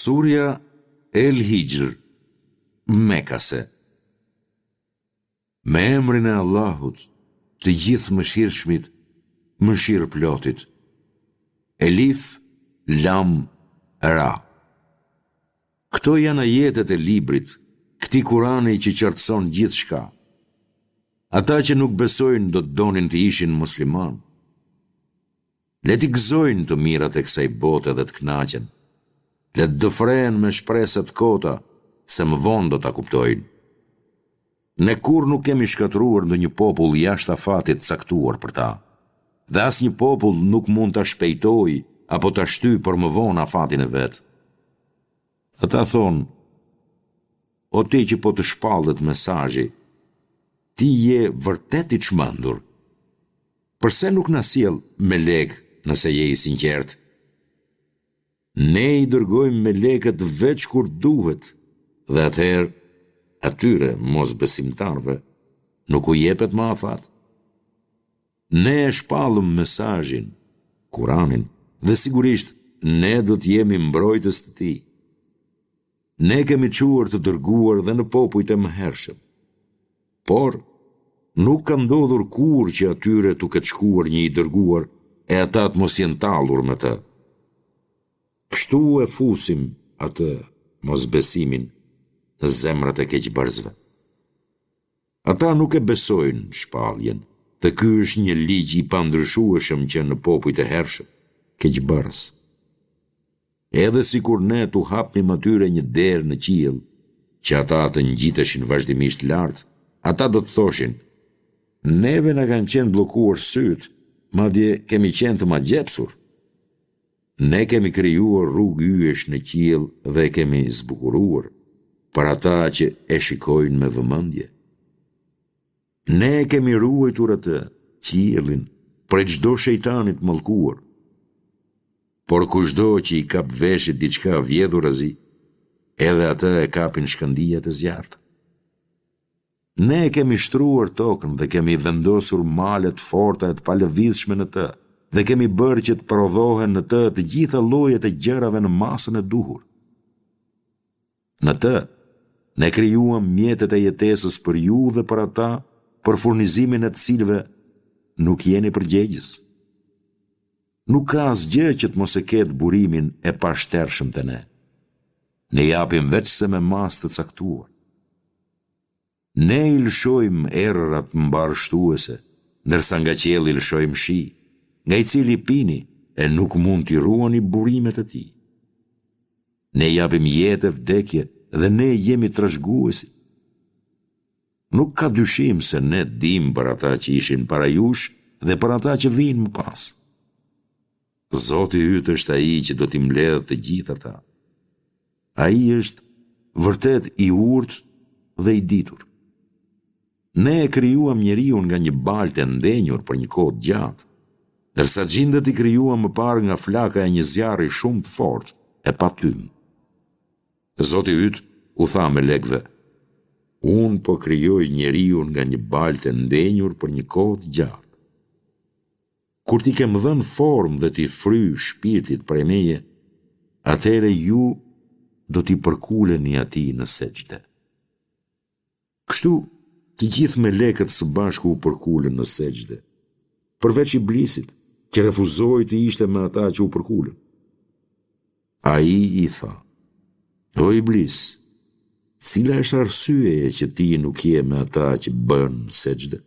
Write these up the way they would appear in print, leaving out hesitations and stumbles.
Surja El Hixhr, Mekase Me emrin e Allahut, të Gjithëmëshirshmit, Mëshirëplotit. Elif, Lam, Ra. Këto janë ajetet e Librit, këtij Kurani që qartëson gjithçka. Ata që nuk besojnë do të donin të ishin muslimanë. Le t'i gëzojnë të mirat e kësaj bote dhe të kënaqen. Le të dëfrehen me shpresa të kota, se më vonë do ta kuptojnë. Ne kurrë nuk kemi shkatërruar ndonjë popull jashtë afatit të caktuar për ta. Dhe asnjë popull nuk mund ta shpejtojë apo ta shtyjë për më vonë afatin e vet. Ata thonë, O ti që po të shpallet mesazhi, ti je vërtet i çmendur. Përse nuk na sjell melekë nëse je i sinqertë? Ne i dërgojmë melekët veç kur duhet dhe atëherë atyre mosbesimtarëve nuk u jepet më afat. Ne e shpallëm mesazhin, Kuranin, dhe sigurisht ne do të jemi mbrojtës të tij. Ne kemi çuar të dërguar dhe në popujt e mëhershëm. Por, nuk ka ndodhur kurrë që atyre t'u ketë shkuar një i dërguar e ata të mos jenë tallur me të. Kështu e fusim atë, mosbesimin, në zemrat e keqbërësve. Ata nuk e besojnë shpalljen dhe ky është një ligj i pandryshueshëm që në popujt e hershëm, keqbërës. Edhe sikur ne t'u hapnim atyre një derë në qiell, që ata të ngjiteshin vazhdimisht lart, ata do të thoshin, Neve na kanë qenë bllokuar sytë, madje kemi qenë të magjepsur. Ne kemi krijuar rrugë yjesh në qiell dhe e kemi zbukuruar, për ata që e shikojnë me vëmendje. Ne e kemi ruajtur atë, qiellin, prej çdo shejtani të mallkuar. Por kushdo që i kap veshit diçka vjedhurazi, edhe atë e kapin shkëndijat e zjarrta. Ne e kemi shtruar tokën dhe kemi vendosur male të forta e të palëvizshme në të dhe kemi bërë që të prodhohen në të të gjitha llojet e gjërave në masën e duhur. Në të, ne krijuam mjetet e jetesës për ju dhe për ata, për furnizimin e të cilëve nuk jeni përgjegjës. Nuk ka asgjë që të mos e ketë burimin e pashtershëm te ne. Ne japim veçse me masë të caktuar. Ne i lëshojmë erërat mbarështuese, ndërsa nga qielli lëshojmë shi, nga i cili pini e nuk mund t'i ruani burimet e tij. Ne japim jetë e vdekje dhe ne jemi trashëguesit. Nuk ka dyshim se ne dimë për ata që ishin para jush dhe për ata që vijnë më pas. Zoti yt është ai që do t'i mbledhë të gjithë ata. Ai është vërtet i urtë dhe i ditur. Ne e krijuam njeriun nga një baltë e ndenjur për një kohë të gjatë, ndërsa xhindët i krijuam më parë nga flaka e një zjarri shumë të fortë e pa tym. Zoti yt u tha melekëve, Unë po krijoj njeriun nga një baltë e ndenjur për një kohë të gjatë. Kur t'i kem dhënë formë dhe t'i fryj shpirtit prej meje, atëherë ju do t'i përkuleni atij në sexhde. Kështu, të gjithë melekët së bashku u përkulën në sexhde, përveç Iblisit, që refuzoi të ishte me ata që u përkulën. Ai i tha, O Iblis, cila është arsyeja që ti nuk je me ata që bënë sexhde?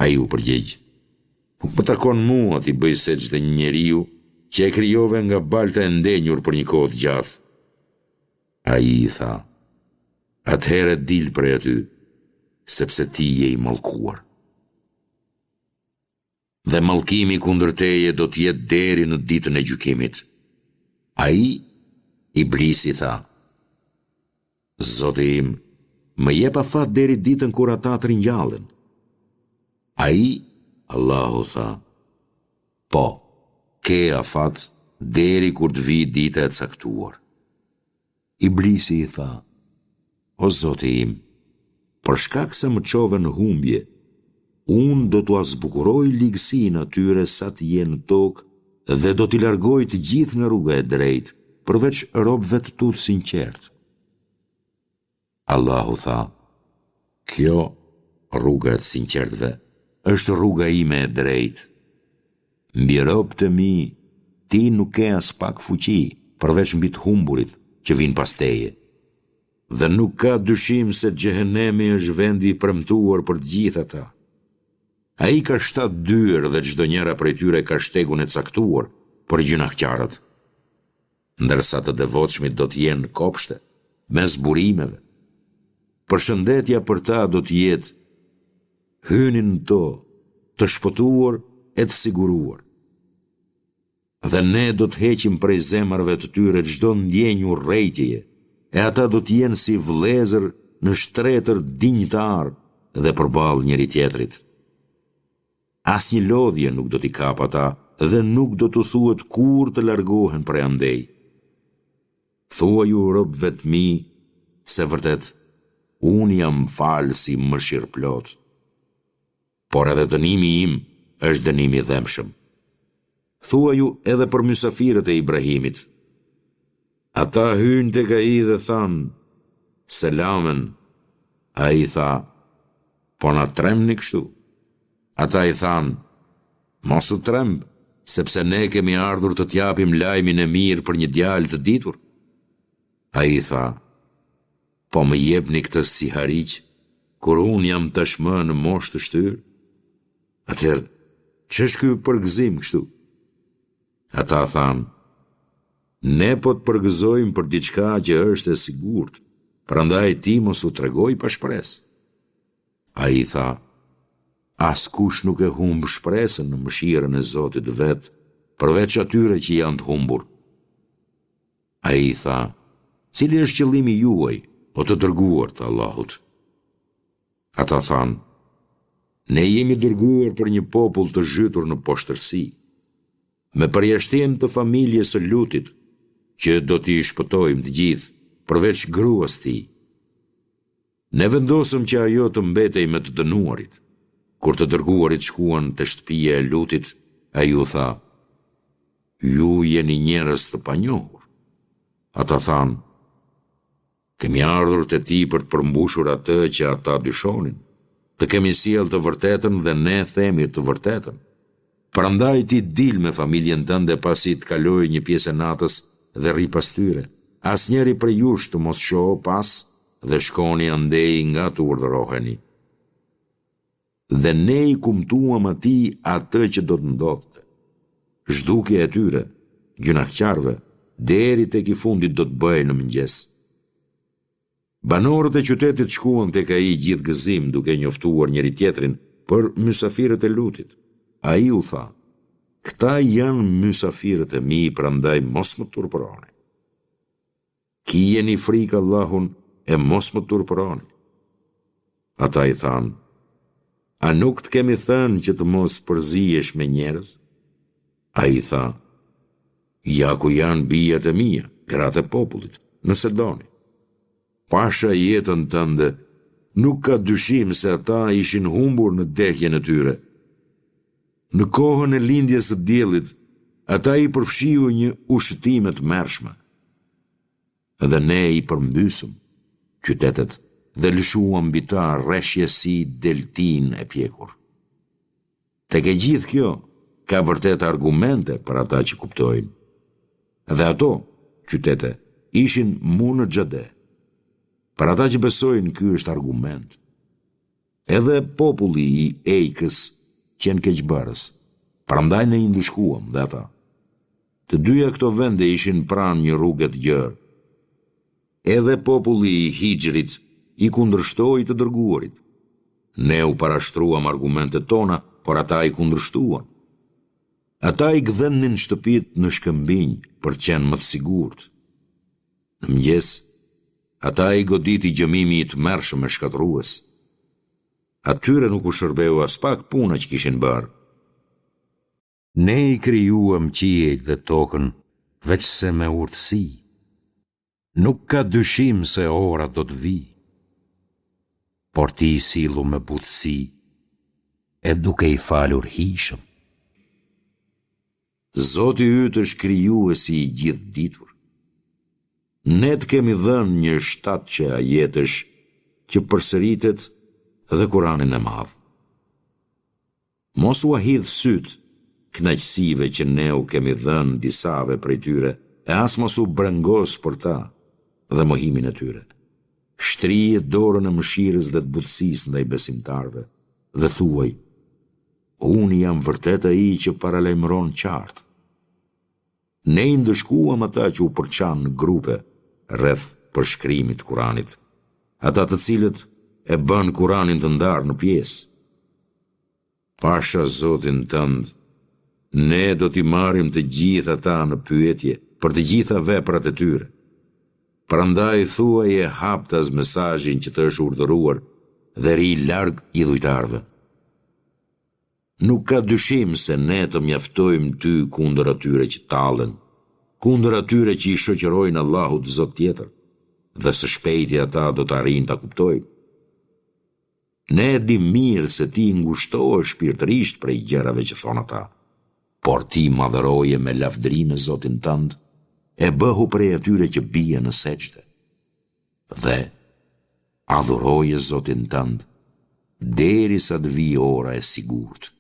Ai u përgjigj, Nuk më takon mua t'i bëj sexhde një njeriu që e krijove nga balta e ndenjur për një kohë të gjatë. Ai i tha, Atëherë dil prej aty, sepse ti je i mallkuar. Dhe mallkimi kundër teje do të jetë deri në ditën e gjykimit. Ai, Iblisi tha, Zoti im, më jep afat deri ditën kur ata të ringjallen. Ai, Allahu tha, Po, ke afat deri kur të vijë dita e caktuar. Iblisi i tha, O Zoti im, për shkak se më çove në humbje, unë do t'ua zbukuroj ligësinë atyre sa të jenë në tokë dhe do t'i largoj të gjithë nga rruga e drejtë. përveç robëve të tu të sinqertë. Allahu tha, Kjo, rruga e të sinqertëve, është rruga ime e drejtë. Mbi robët e mi, ti nuk ke aspak fuqi, përveç mbi të humburit që vijnë pas teje. Dhe nuk ka dyshim se Xhehenemi është vendi i premtuar për të gjithë ata. Ai ka shtatë dyer dhe çdonjëra prej tyre ka shtegun e caktuar për gjynahqarët. Ndërsa të devotshmit do të jenë në kopshte, mes burimeve. Përshëndetja për ta do të jetë, Hyni në to, të shpëtuar e të siguruar. Dhe ne do të heqim prej zemrave të tyre çdo ndjenjë urrejtjeje, e ata do të jenë si vëllezër në shtretër dinjitarë dhe përballë njëri-tjetrit. Asnjë lodhje nuk do t'i kapë ata dhe nuk do t'u thuhet kurrë të largohen prej andej. Thuaju robëve të mi se vërtet Unë jam Falësi Mëshirëplotë. Por edhe dënimi im është dënim i dhembshëm. Thuaju edhe për mysafirët e Ibrahimit. Ata hynë tek ai dhe thanë, Selamen. Ai tha, Po na trembni kështu? Ata i thanë, Mos u tremb, sepse ne kemi ardhur të të japim lajmin e mirë për një djalë të ditur. Ai tha, Po më jepni këtë sihariq, kur unë jam tashmë në moshë të shtyrë? Atëherë, ç'është ky përgëzim kështu? Ata thanë, Ne po të përgëzojmë për diçka që është e sigurt, prandaj ti mos u trego i pashpresë. Ai tha, Askush nuk e humb shpresën në mëshirën e Zotit të vet, përveç atyre që janë të humbur. Ai tha, Cili është qëllimi juaj, o të dërguar të Allahut? Ata thanë, Ne jemi dërguar për një popull të zhytur në poshtërsi, me përjashtim të familjes së Lutit, që do t'i shpëtojmë të gjithë, përveç gruas tij. Ne vendosëm që ajo të mbetej me të dënuarit. Kur të dërguarit shkuan te shtëpia e Lutit, ai u tha, Ju jeni njerëz të panjohur. Ata thanë, Kemi ardhur te ti për të përmbushur atë që ata dyshonin. Të kemi sjellë të vërtetën dhe ne themi të vërtetën. Prandaj ti dil me familjen tënde pasi të kalojë një pjesë e natës dhe rri pas tyre. Asnjëri prej jush të mos shohë pas dhe shkoni andej nga të urdhëroheni. Dhe ne i kumtuam atij atë që do të ndodhte. Zhdukja e tyre, gjynahqarëve, deri tek i fundit do të bëhej në mëngjes. Banorët e qytetit shkuan tek ai gjithë gëzim duke njoftuar njëri-tjetrin për mysafirët e Lutit. Ai u tha, Këta janë mysafirët e mi, prandaj mos më turpëroni. Kijeni frikë Allahun e mos më turpëroni. Ata i thanë, A nuk të kemi thënë që të mos përzihesh me njerëz? Ai tha, Ja ku janë bijat e mia, gratë e popullit, nëse doni. Pasha jetën tënde, nuk ka dyshim se ata ishin humbur në dehjen e tyre. Në kohën e lindjes së diellit, ata i përfshiu një ushëtimë e tmerrshme. Dhe ne i përmbysëm qytetet dhe lëshuam mbi ta reshje si deltinë e pjekur. Tek e gjithë kjo, ka vërtet argumente për ata që kuptojnë. Dhe ato, qytete, ishin mu në xhade. Për ata që besojnë, ky është argument. Edhe populli i Ejkës qenë keqbërës, prandaj ne i ndëshkuam dhe ata. Të dyja këto vende ishin pranë një rruge të gjerë. Edhe populli i Hixhrit i kundërshtoi të dërguarit. Ne u parashtruam argumentet tona, por ata i kundërshtuan. Ata i gdhendnin shtëpitë në shkëmbinj për të qenë më të sigurt. Në mëngjes, ata i goditi gjëmimi i tmerrshëm e shkatërrues. Atyre nuk u shërbeu aspak puna që kishin bërë. Ne i krijuam qiejt dhe tokën veçse me urtësi. Nuk ka dyshim se ora do të vijë. Por ti sillu me butësi e duke i falur hijshëm. Zoti yt është Krijuesi i Gjithëditur. Ne të kemi dhënë një shtatëshe ajetesh që përsëritet dhe Kuranin e Madh. Mos ua hidh sytë kënaqësive që ne u kemi dhënë disave prej tyre e as mos u brengos për ta dhe mohimin e tyre. Shtrije dorën e mëshirës dhe të butësisë ndaj besimtarëve dhe thuaj, Unë jam vërtet ai që paralajmëron qartë. Ne i ndëshkuam ata që u përçanë në grupe rreth përshkrimit të Kuranit, ata të cilët e bënë Kuranin të ndarë në pjesë. Pasha Zotin tënd, ne do t'i marrim të gjithë ata në pyetje për të gjitha veprat e tyre. Prandaj thuaje haptas mesazhin që të është urdhëruar dhe rri larg idhujtarëve. Nuk ka dyshim se ne të mjaftojmë ty kundër atyre që tallen, kundër atyre që i shoqërojnë Allahut zot tjetër, dhe së shpejti ata do të arrijnë ta kuptojnë. Ne e dimë mirë se ti ngushtohesh shpirtërisht prej gjërave që thonë ata, por ti madhëroje me lavdërime Zotin tënd e bëhu prej atyre që bien në sexhde. Dhe, adhuroje Zotin tënd, derisa të vijë ora e sigurt.